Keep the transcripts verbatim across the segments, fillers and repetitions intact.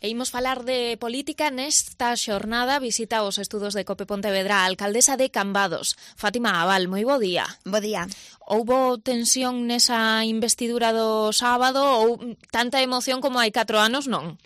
E imos falar de política nesta xornada. Visita os estudos de Cope Pontevedra a alcaldesa de Cambados, Fátima Abal. Moi bo día. Bo día. Houbo tensión nesa investidura do sábado ou tanta emoción como hai catro anos, non?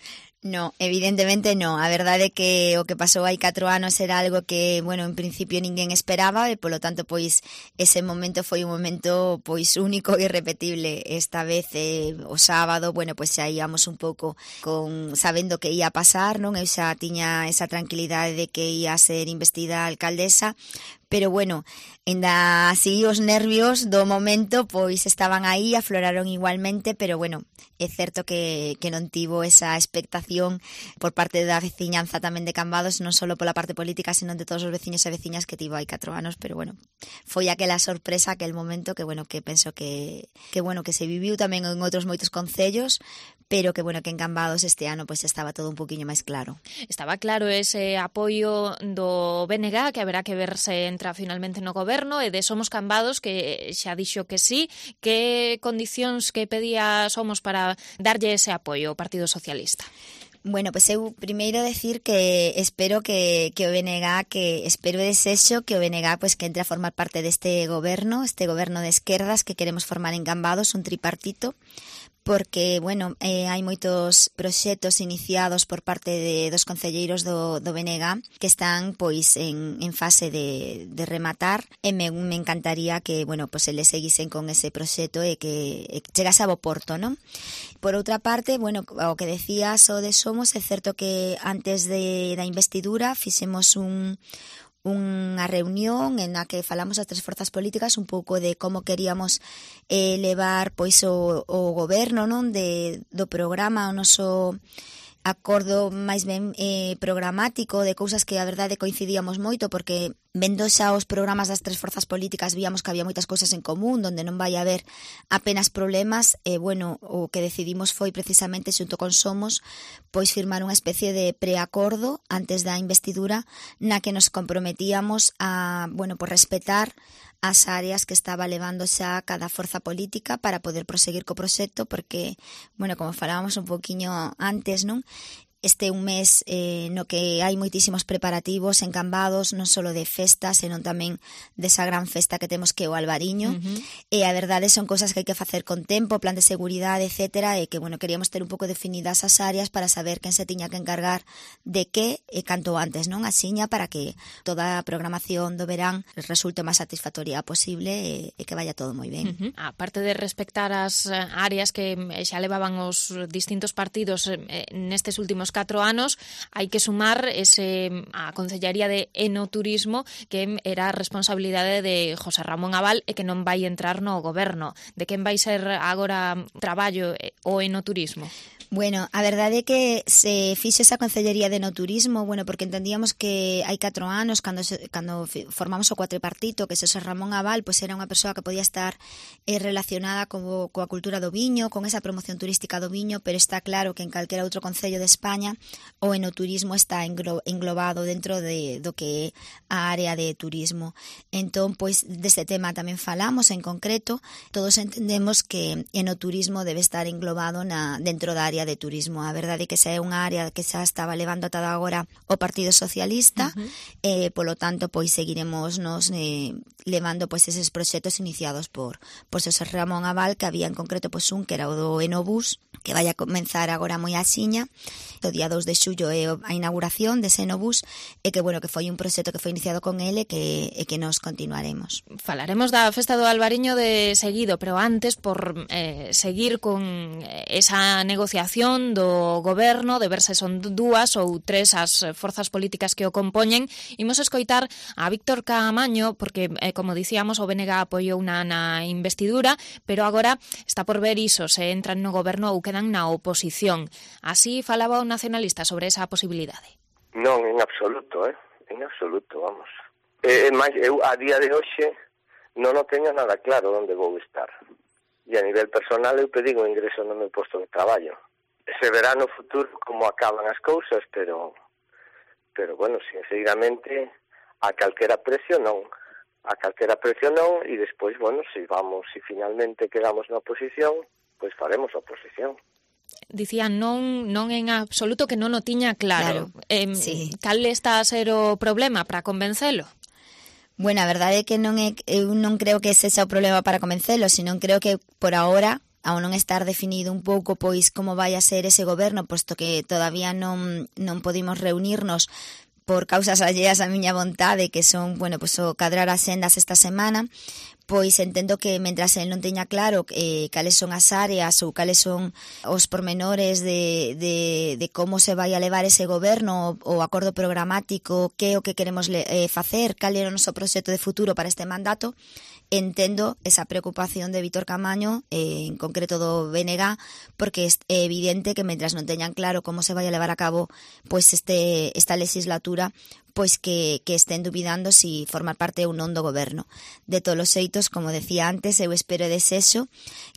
No, evidentemente no. A verdade é que o que pasou hai catro anos era algo que, bueno, en principio ninguén esperaba e, polo tanto, pois, ese momento foi un momento, pois, único e irrepetible. Esta vez, eh, o sábado, bueno, pois xa íamos un pouco con sabendo que ia pasar, non? Eu xa tiña esa tranquilidade de que ia ser investida alcaldesa, pero, bueno, ainda así os nervios do momento pois estaban aí, afloraron igualmente, pero, bueno, é certo que, que non tivo esa expectación por parte da veciñanza tamén de Cambados, non só pola parte política, senón de todos os veciños e veciñas que tivo hai catro anos, pero, bueno, foi aquela sorpresa, aquel momento que, bueno, que penso que, que, bueno, que se viviu tamén en outros moitos concellos, pero que, bueno, que en Cambados este ano pois estaba todo un poquinho máis claro. Estaba claro ese apoio do B N G, que haberá que ver se entra finalmente no goberno, e de Somos Cambados, que xa dixo que sí. Que condicións que pedía Somos para darlle ese apoio ao Partido Socialista? Bueno, pois eu primeiro decir que espero que, que o B N G, que espero e desexo que o B N G pois, que entre a formar parte deste goberno, este goberno de esquerdas que queremos formar en Cambados, un tripartito, porque, bueno, eh, hai moitos proxectos iniciados por parte de, dos concelleiros do, do B N G que están, pois, en, en fase de, de rematar, e me, me encantaría que, bueno, pois, eles seguisen con ese proxecto e que e chegase a bo porto, non? Por outra parte, bueno, o que decías o de Somos, é certo que antes de, da investidura fixemos un unha reunión en a que falamos as tres forzas políticas un pouco de como queríamos eh, levar pois o, o goberno, non, de, do programa, o noso acordo máis ben eh, programático de cousas que a verdade coincidíamos moito, porque vendo xa os programas das tres forzas políticas víamos que había moitas cousas en común, donde non vai haber apenas problemas, e, bueno, o que decidimos foi precisamente xunto con Somos pois firmar unha especie de preacordo antes da investidura na que nos comprometíamos a, bueno, por respetar as áreas que estaba levando xa cada forza política para poder proseguir co proxecto, porque, bueno, como falábamos un poquinho antes, non? Este é un mes eh, no que hai moitísimos preparativos en Cambados, non só de festas, senón tamén desa gran festa que temos que é o Albariño. Uh-huh. E a verdade son cousas que hai que facer con tempo, plan de seguridade, etcétera, e que, bueno, queríamos ter un pouco definidas as áreas para saber quen se tiña que encargar de que e canto antes, non? Asiña, para que toda a programación do verán resulte o máis satisfactoria posible e, e que vaya todo moi ben. Uh-huh. Aparte de respectar as áreas que xa levaban os distintos partidos eh, nestes últimos catro anos, hai que sumar ese a Concellaría de Enoturismo, que era a responsabilidade de José Ramón Abal e que non vai entrar no goberno. De quen vai ser agora traballo o enoturismo? Bueno, a verdade é que se fixe esa Concellería de Enoturismo, bueno, porque entendíamos que hai catro anos, cando, se, cando formamos o cuatripartito, que Xosé Ramón Abal, pois era unha persoa que podía estar eh, relacionada co, coa cultura do viño, con esa promoción turística do viño, pero está claro que en calquera outro concello de España o enoturismo está englo, englobado dentro de, do que é a área de turismo. Entón, pois, deste tema tamén falamos en concreto. Todos entendemos que enoturismo debe estar englobado na, dentro da área de turismo. A verdade é que xa é unha área que xa estaba levando ata agora o Partido Socialista, uh-huh. e polo tanto pois seguiremos nos eh, levando pois eses proxectos iniciados por por Xosé Ramón Abal, que había en concreto pois un que era o do Enobús, que vai a comenzar agora moi axiña. O día dous de xullo é a inauguración dese Enobús, e que, bueno, que foi un proxecto que foi iniciado con ele e que, e que nos continuaremos. Falaremos da festa do Albariño de seguido, pero antes, por eh, seguir con esa negociación do goberno, de ver se son dúas ou tres as forzas políticas que o compoñen, imos escoitar a Víctor Caamaño, porque, eh, como dicíamos, o B N G apoiou na, na investidura, pero agora está por ver iso, se entran no goberno ou quedan na oposición. Así falaba o nacionalista sobre esa posibilidade. Non, en absoluto, eh? En absoluto, vamos. Eh, máis, eu a día de hoxe non o teño nada claro onde vou estar. E a nivel personal eu pedín o ingreso no meu posto de traballo. Se verá no futuro como acaban as cousas, pero pero bueno, sinceramente a calquera precio non. A calquera precio non, e despois, bueno, se vamos, se finalmente quedamos na oposición, pois faremos a oposición. dicía non non en absoluto que non o tiña claro. Claro, eh, sí. Cal está a ser o problema para convencelo? Bueno, a verdade é que non é, eu non creo que ese sea o problema para convencelo, sino creo que por ahora, ao non estar definido un pouco pois como vai a ser ese goberno, posto que todavía non non podimos reunirnos por causas alleas a miña vontade, que son, bueno, pois o cadrar as sendas esta semana, pois entendo que mentras el non teña claro eh, cales son as áreas ou cales son os pormenores de, de, de como se vai a levar ese goberno, o acordo programático, que é o que queremos eh, facer, cal é o noso proxecto de futuro para este mandato, entendo esa preocupación de Vítor Caamaño, eh, en concreto do B N G, porque é evidente que mentras non teñan claro como se vai a levar a cabo pois este esta legislatura, pois que, que estén dubidando si formar parte ou non do goberno. De todos os xeitos, como decía antes, eu espero e desexo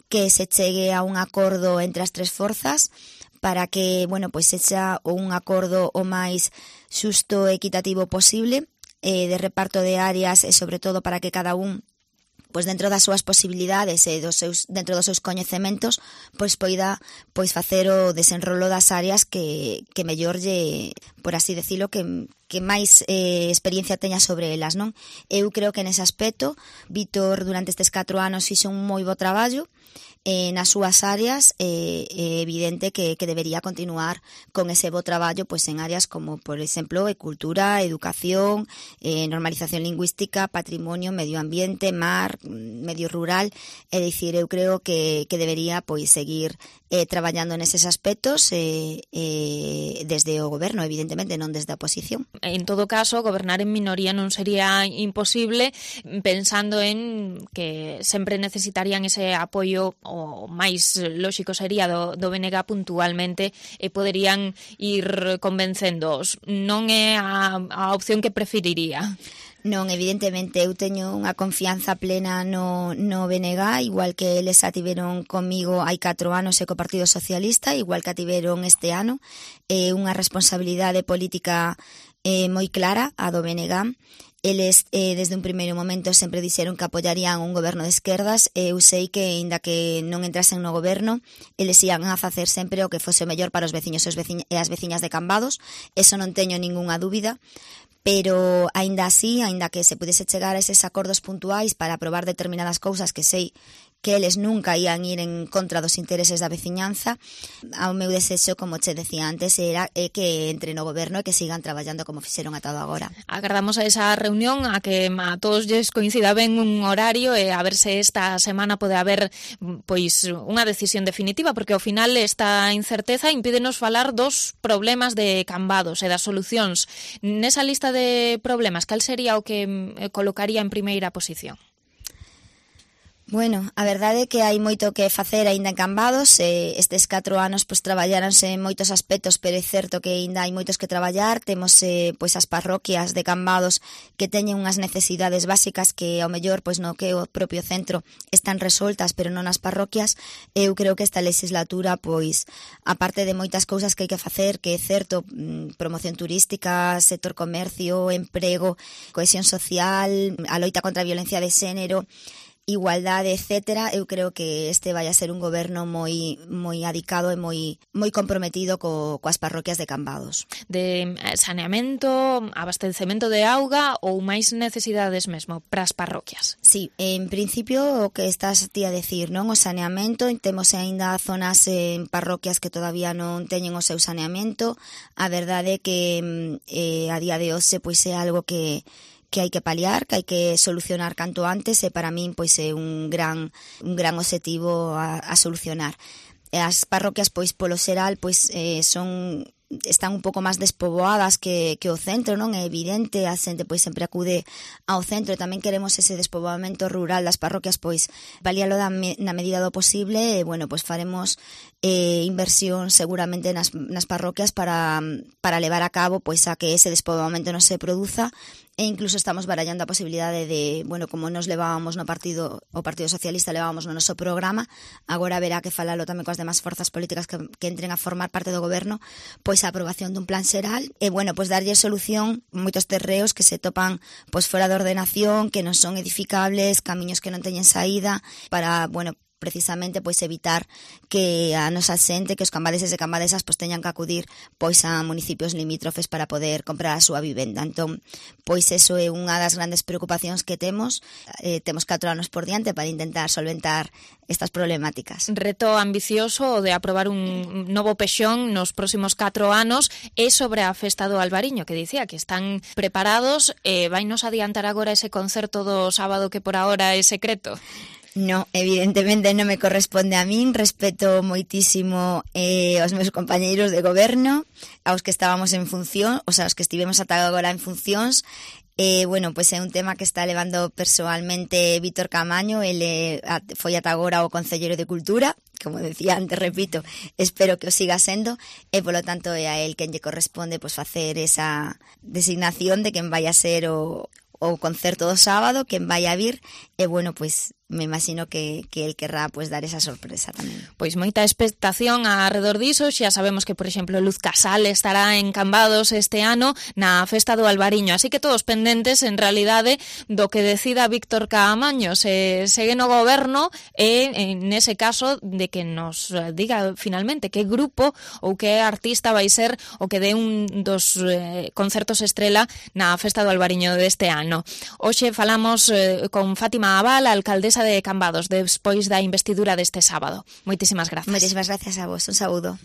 que se chegue a un acordo entre as tres forzas para que, bueno, pois sexa un acordo o máis xusto e equitativo posible, eh, de reparto de áreas e sobre todo para que cada un pois dentro das súas posibilidades e dos seus dentro dos seus coñecementos, pois poida pois facer o desenrolo das áreas que que mellor lle, por así decirlo, que que máis eh, experiencia teña sobre elas, non? Eu creo que nese aspecto Vítor durante estes catro anos fixo un moi bo traballo eh, nas súas áreas, é eh, evidente que, que debería continuar con ese bo traballo pois en áreas como, por exemplo, cultura, educación, eh, normalización lingüística, patrimonio, medio ambiente, mar, medio rural, é dicir, eu creo que, que debería pois seguir eh, traballando neses aspectos eh, eh, desde o goberno, evidentemente, non desde a oposición. En todo caso, gobernar en minoría non sería imposible, pensando en que sempre necesitarían ese apoio, o máis lóxico sería do, do B N G puntualmente, e poderían ir convencéndoos. Non é a, a opción que preferiría? Non, evidentemente, eu teño unha confianza plena no, no B N G, igual que eles a tiveron comigo hai catro anos e co Partido Socialista, igual que a tiveron este ano, é unha responsabilidade política eh, moi clara a do B N G. Eles, eh, desde un primeiro momento, sempre dixeron que apoyarían un goberno de esquerdas, e eu sei que, aínda que non entrasen no goberno, eles ian a facer sempre o que fose o mellor para os veciños e, os veciños, e as veciñas de Cambados, eso non teño ningunha dúbida, pero, aínda así, aínda que se pudese chegar a eses acordos puntuais para aprobar determinadas cousas que sei que eles nunca ian ir en contra dos intereses da veciñanza, ao meu desexo, como che decía antes, era é que entre no goberno e que sigan traballando como fixeron ata agora. Agardamos a esa reunión, a que a todos lles coincida ben un horario, e a ver se esta semana pode haber pois unha decisión definitiva, porque ao final esta incerteza impídenos falar dos problemas de Cambados e das solucións. Nesa lista de problemas, cal sería o que colocaría en primeira posición? Bueno, a verdade é que hai moito que facer aínda en Cambados, eh, estes catro anos pois traballáronse en moitos aspectos, pero é certo que aínda hai moitos que traballar. Temos eh, pois as parroquias de Cambados que teñen unhas necesidades básicas que ao mellor pois no que o propio centro están resoltas, pero non nas parroquias. Eu creo que esta legislatura pois aparte de moitas cousas que hai que facer, que é certo, promoción turística, sector comercio, emprego, cohesión social, a loita contra a violencia de xénero, igualdade, etcétera, eu creo que este vai a ser un goberno moi moi adicado e moi moi comprometido co, coas parroquias de Cambados. De saneamento, abastecemento de auga ou máis necesidades mesmo para as parroquias? Sí, en principio o que estás ti a decir, non? O saneamento, temos aínda zonas en parroquias que todavía non teñen o seu saneamento. A verdade é que eh, a día de hoxe pois é algo que que hai que paliar, que hai que solucionar canto antes, e para min pois é un gran un gran obxectivo a, a solucionar. As parroquias pois polo xeral pois eh, son están un pouco máis despoboadas que, que o centro, non? É evidente, a xente pois sempre acude ao centro, e tamén queremos ese despoboamento rural das parroquias, pois valíalo da me, na medida do posible, e bueno, pois faremos eh, inversión seguramente nas, nas parroquias para, para levar a cabo pois a que ese despoboamento non se produza. E incluso estamos barallando a posibilidade de, bueno, como nos levábamos no partido, o Partido Socialista levábamos no noso programa, agora haberá que falalo tamén coas demás forzas políticas que, que entren a formar parte do goberno, pois a aprobación dun plan xeral, e, bueno, pois darlle solución moitos terreos que se topan pois fora de ordenación, que non son edificables, camiños que non teñen saída, para, bueno, precisamente pois evitar que a nosa xente, que os cambadeses e cambadesas pois teñan que acudir pois a municipios limítrofes para poder comprar a súa vivenda. Entón, pois eso é unha das grandes preocupacións que temos. Eh, temos catro anos por diante para intentar solventar estas problemáticas. Reto ambicioso o de aprobar un novo pexón nos próximos catro anos é sobre a festa do Albariño, que dicía que están preparados. Eh, vainos adiantar agora ese concerto do sábado que por ahora é secreto? No, evidentemente non me corresponde a min, respeto moitísimo eh, aos meus compañeiros de goberno, aos que estábamos en función, o sea, aos que estivemos ata agora en funcións. Eh, bueno, pois é un tema que está levando persoalmente Víctor Caamaño, ele foi ata agora o Concelleiro de Cultura, como decía antes, repito, espero que o siga sendo, e polo tanto é a el quen lle corresponde pois facer esa designación de quen vai a ser o, o concerto do sábado, quen vai a vir, e bueno, pois me imagino que, que el querrá pues, dar esa sorpresa tamén. Pois moita expectación alrededor diso. Xa sabemos que, por exemplo, Luz Casal estará en Cambados este ano na festa do Albariño, así que todos pendentes en realidade do que decida Víctor Caamaño, se segue no goberno, e en ese caso de que nos diga finalmente que grupo ou que artista vai ser o que dé un dos eh, concertos estrela na festa do Albariño deste ano. Hoxe falamos eh, con Fátima Abal, alcaldesa de Cambados, despois da investidura deste sábado. Moitísimas grazas. Moitísimas grazas a vos. Un saúdo.